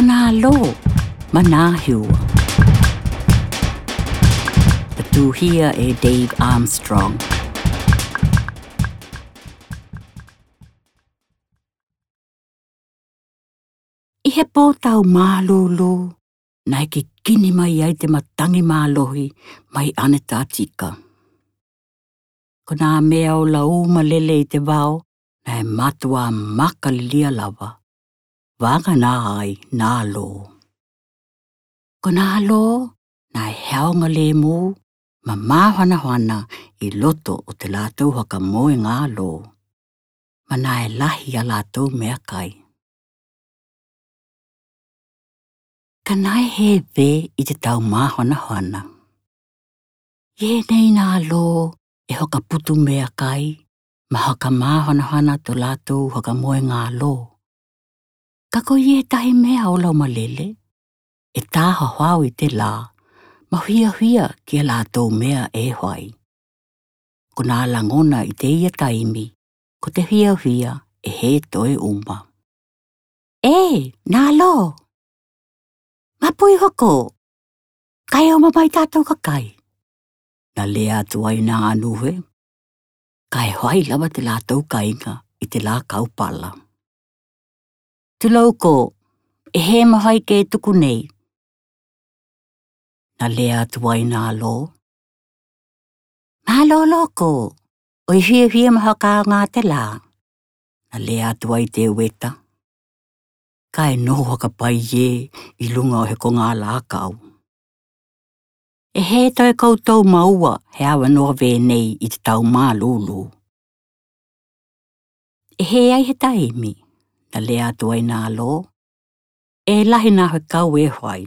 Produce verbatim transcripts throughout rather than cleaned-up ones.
Nā Lō, ma nā Hiua. Tatuhia e Dave Armstrong. ʻI he pō taumālūlū, naʻe kikini mai ai te matangi mālohi mai Antarctica. Ko nā mea ola ʻū ma lele ʻi te vao, naʻe mātuʻa makalilia lava. Vaganā ai nā Lō. Ko nā Lō, naʻe heaonga lēmū, ma māhoanohana ʻi loto o te lātou haka moe ngā lō. Ma naʻe lahi a lātou meʻakai. Ka naʻe hē pē ʻi te tau māhoanohana. ʻI heʻenei nā Lō e haka putu meʻakai, ma haka māhoanohana to lātou haka moe ngā lō. Ka ko ia e tahi mea ola ʻū ma lele, e tāhōhō ʻi te lā, ma hiahia ki a lātou mea e fai. Ko nā lagona ʻi te ia taimi, ko te hiahia e hē toe ʻuma. E, nā Lō. Mapui hoko, kae ō mai tātou ka kai. Nā lea atu ai nā nuhe, kae fai lava te lātou kāinga ʻi te lā kaupala. Tulou kō, e hē ma fai ke tuku nei. Nā lea atu ai nā Lō. Mālō Lō kō, ʻoi fiafia ma haka aonga te lā. Nā lea atu ai te ueta. Kae noho haka pai ē ʻi luga o he kongā lākau. E hē toe koutou ma ua he avanoa vē nei ʻi te tau mālūlū. E hē ai he taimi, nā lea atu ai nā Lō, e lahi nā fekau e fai.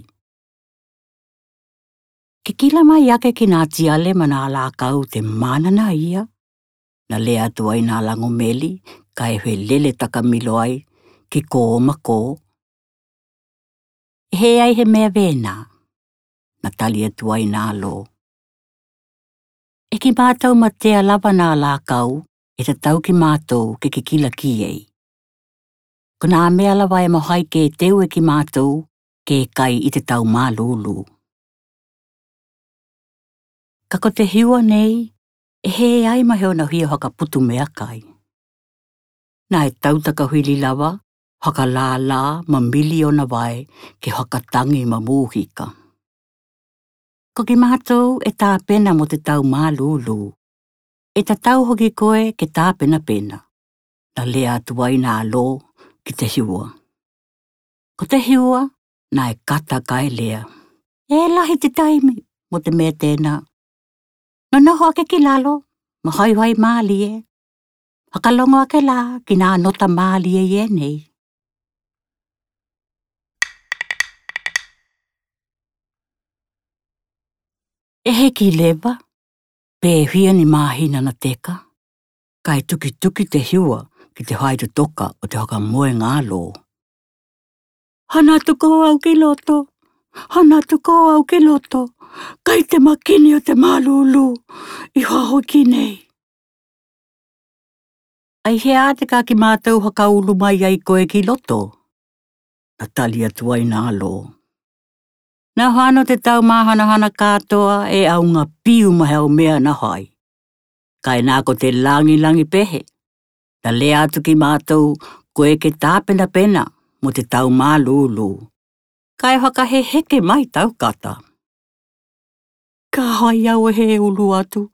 Ke kila mai ake ki nā tiale ma nā lākau te mānanaia, nā lea atu ai nā Lagomeli, kae felele takamilo ai, ki kō ma kō. E hē ai he mea vē nā, nā tali atu ai nā Lō. E ki mātou matea lava nā lākau, e tatau ki mātou ke kikila ki ei. Ko nā mea lava e mafai ke teu e ki mātou, ke kai ʻi te tau mālūlū. Ka ko te Hiua nei, e hē ai ma he ona fia haka putu meʻakai. Naʻe tautaka fili lava, haka lālā ma mili ona vae, ke haka tangi ma mūhika. Ko ki mātou e tāpena mo te tau mālūlū. E tatau hoki koe ke tāpenapena. Nā lea atu ai nā Lō ki te Hiua. Ko te Hiua, naʻe kata kae lea. E lahi te taimi, mo te mea tēnā. Nonoho ake ki lalo, ma faifai mālie. Fakalogo ake lā, ki nā nota mālie ʻi ʻenei. E hiki leva, pe fia ni māhina na teka, kae tukituki te Hiua ki te faitotoka o te haka moe ngā lō. Hana atu ko au ki loto, hana atu ko au ki loto, kai te makini o te mālūlū, ʻi fahoki nei. ʻAi hea te ka ki mātou haka ulu mai ai koe ki loto? Na tali atu ai nā lō. Na fano te tau māhanahana kātoa e ʻaunga piu ma he au mea na fai. Kae nā ko te langilangi pehe. Na lea atu ki mātou, koe ke tāpenapena mo te tau mālūlū. Kae fakaheheke mai tau kata. Ka fai au e he ulu atu,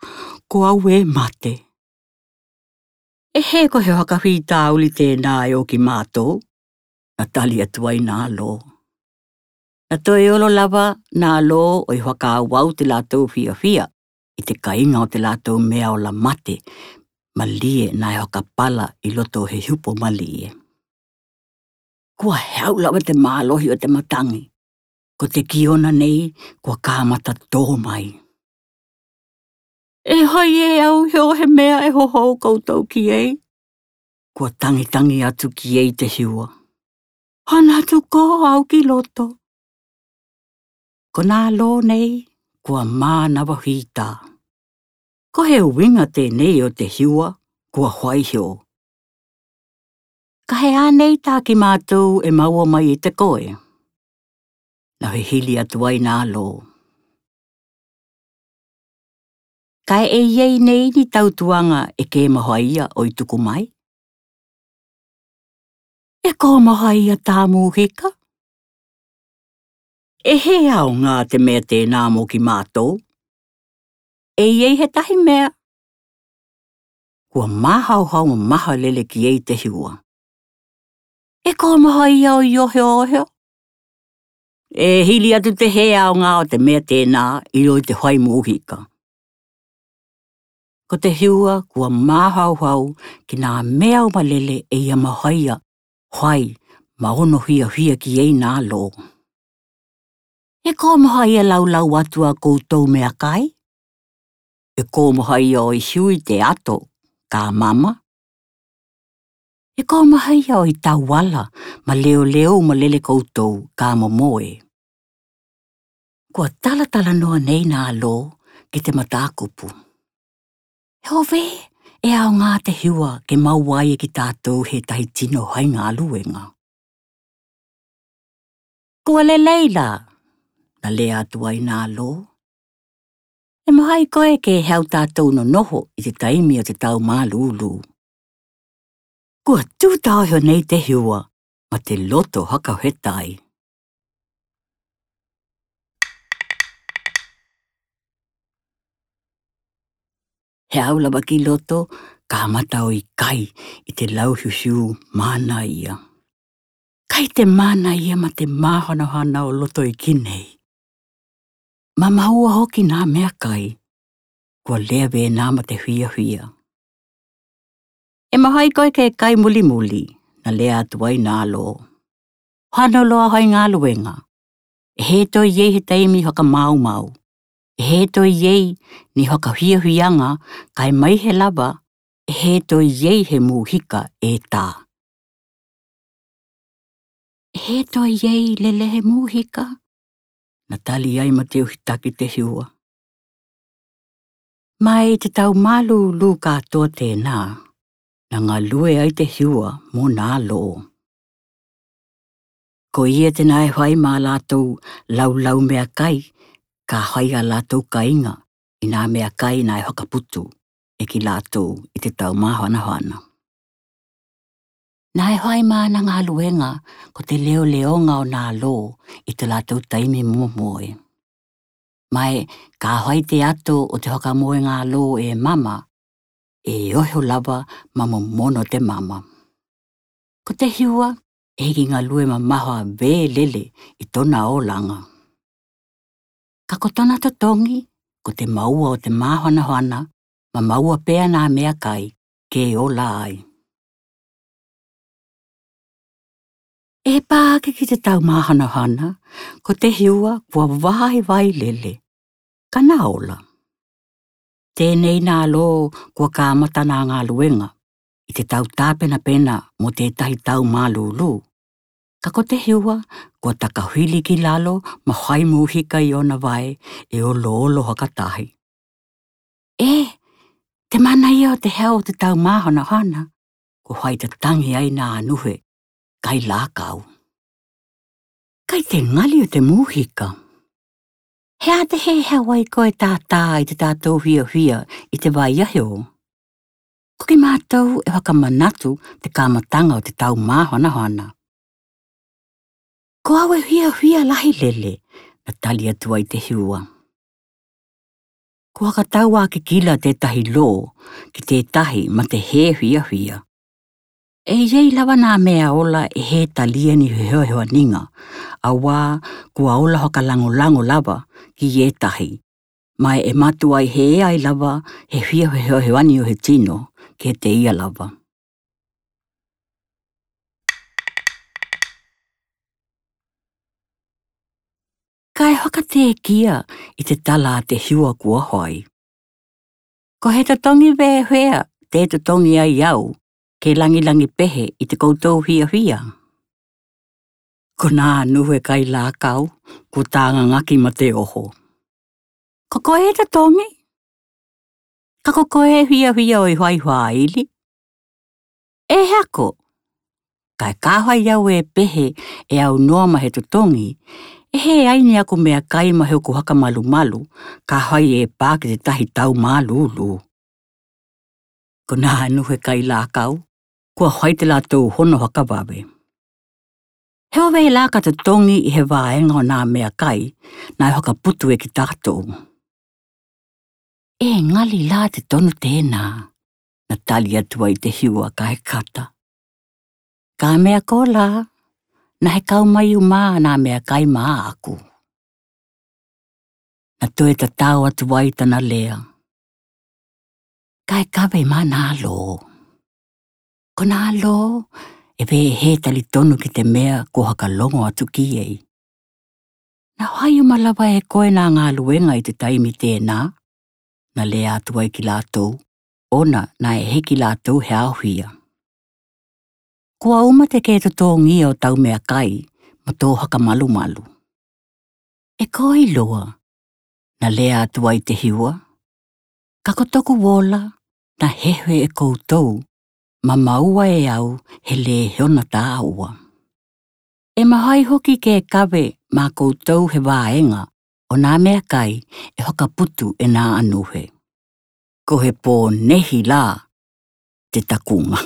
ko au e mate. E he ko he fakafitauli tēnā e o ki mātou, na tali atu ai nā lō. Na toe olo lava nā lō ʻo i fakaauau te lātou fiafia, i te kainga o te lātou mea ola mate, malie na e fakapala i loto he hupo malie. Kua heau lava te mālohi o te matangi. Ko te kiona nei, kua kamata tō mai. E fai e au he o he mea e hohou koutou ki ei. Kua tangitangi atu ki ei te hiua. Hana atu ko au ki loto. Ko nā lō nei, kua mānava fita. Ko he uinga tēnei o te hiua, kua fai heo. Ka he ānei tā ki mātou e maua mai i te koe. Naʻe hili atu ai nā lō. Kae ʻe ʻi ai nei ni tautuaga ʻe kē mahoaia ʻo e tuku mai? ʻE kō mahoaia tā mūhika? ʻE hē aogā te mea tēnā mo kimātou? ʻE ʻi ai he tahi mea? Kua māhauhau mamaha lele ki ai Tehiua. ʻE kō mahoaia ʻo e ohiohio? ʻE hili atu te hē aogā ʻo te mea tēnā ʻi loto i te hoai mūhika. Ko Tehiua kua māhauhau ki nā mea uma lele ʻe ia mahoaia hoai ma ono hiahia ki ai nā lō. ʻE kō mahoaia laulau atu a koutou meʻakai? ʻE kō mahoaia ʻo e hiu i te ato ka mama? ʻE kō mahoaia ʻo e tauala ma leoleo uma lele koutou ka momoe? Kua talatalanoa nei nā lō ki te matākupu. He ʻo fē ʻe aogā Tehiua ke maua ai e kitātou he tahi tino hoai galuega? Kua lelei lā, na lea atu ai nā lō. ʻE mahoa koe ke haʻu tātou nonoho i te taimi o te tau mālūlū. Kua tū taohi nei Tehiua ma te loto haka he tai. He haʻu lava ki loto, kamata ʻo ʻikai i te lau hiuhiu mānaia. Kai te mānaia ma te māhanahana ʻo loto iiki nei. Ma maua hoki nā meʻakai, kua lea vena ma te hiahia. ʻE mahoa koe ke kai mulimuli, na lea atu ai nā lō. Hano loa hoai galuega. ʻE hē toe ʻi ai he taimi haka maumau. ʻE hē toe ʻi ai ni haka hiahiaga, kae mai he lava, ʻe hē toe ʻi ai he mūhika ʻe tā. ʻE hē toe ʻi ai lele he mūhika? Na tali ai ma te uhitaki Tehiua. Mai te tau mālūlū kātoa tēnā, na galue ai Tehiua mo nā lō. Ko ia te nā ʻe hoai ma lātou laulau meʻakai, ka hoai a lātou kāiga i nā meʻakai nā ʻe hakaputu e ki lātou i te tau māhanahana. Nā ʻe hoai ma ana galuega ko te leoleoga o nā lō i te lātou taimi momoe. Mai ka hoai te ato o te hakamoe gā lō ʻe mama, ʻe oho lava ma momono te mama. Ko Tehiua ʻe hiki galue mamaha vē lele i tona olaga. Ka ko tona totogi, ko te maua o te māhanahana, ma maua pea nā meʻakai ke ola ai. ʻE pā ake ki te tau māhanahana, ko Tehiua kua vaivai lele, ka na ola. Tēnei nā lō kua kamata nā galuega i te tau tāpenapena mo tētahi tau mālūlū. Ka ko Tehiua kua takahili ki lalo ma hoai mūhika i ona vae ʻe oloolo haka tahi. ʻE, te mana ia o te hau o te tau māhanahana, ko hoai tatagi ai nā nuhe kai lākau. Kai te gali o te mūhika. He ʻa te hē hau ai koe tātā i te tātou hiahia i te vai ahi o. Ko kimātou ʻe hakamanatu te kamataga o te tau māhanahana. Ko au ʻe hiahia lahi lele, na tali atu ai Tehiua. Ko hakatau a kikila tētahi lō ki tētahi ma te hē hiahia. ʻE ʻi ai lava nā mea ola ʻe hē talia ni he hoehoaniga, auā kua ola hakalagolago lava ki ʻētahi, mai ʻe mātuʻa ʻi hē ai lava he hia he hoehoani o he tino ke te ia lava. Kae hakatekia i te tala a Tehiua kua hoai. Ko he totogi vehea te totogi ai au ke lagilagi pehe i te koutou hiahia? Ko nā nuhe kai lākau kua tāgagaki ma te oho. Ko koe e totogi? Ka ko koe e hiahia ʻo e hoai fāili? ʻE hako, kae ka hoai au e pehe ʻe au noa ma he totogi, E hē ai ni aku meakai mo hoku haka malumalu, ka fai e pā ki te tahi tau mālūlū. Ko nā anuhe kailākau, kua fai te lātou hono haka vave. He ʻo vē lā ka totongi ʻi he vāega ʻo nā meakai naʻe haka putu ʻe ki tātou? E ngali lā te tonu tēnā, na tali atu ai te hiua kae kata. Ka mea ko lā, na he kau mai uma nā meakai maʻaku. Na toe tatau atu ai tana lea. Kae kave mā nā lō. Ko nā lō, e vē hē talitonu ki te mea ko haka longo atu ki ei. Na fai uma lava e koe nā galuega ʻi te taimi tēnā, na lea atu ai ki lātou, ʻona naʻe hiki lātou he aofia. Kua uma te kē totongi ʻo tau meakai, mo tō haka malumalu. E ko iloa, na lea atu ai te hiua, ka ko toku ola, na hehe e koutou, ma maua e au he lē he ona tāua. E mahai hoki ke kave mā koutou he vāega ʻo nā meakai e haka putu ʻe nā anuhe. Ko he pō nehi lā te takunga.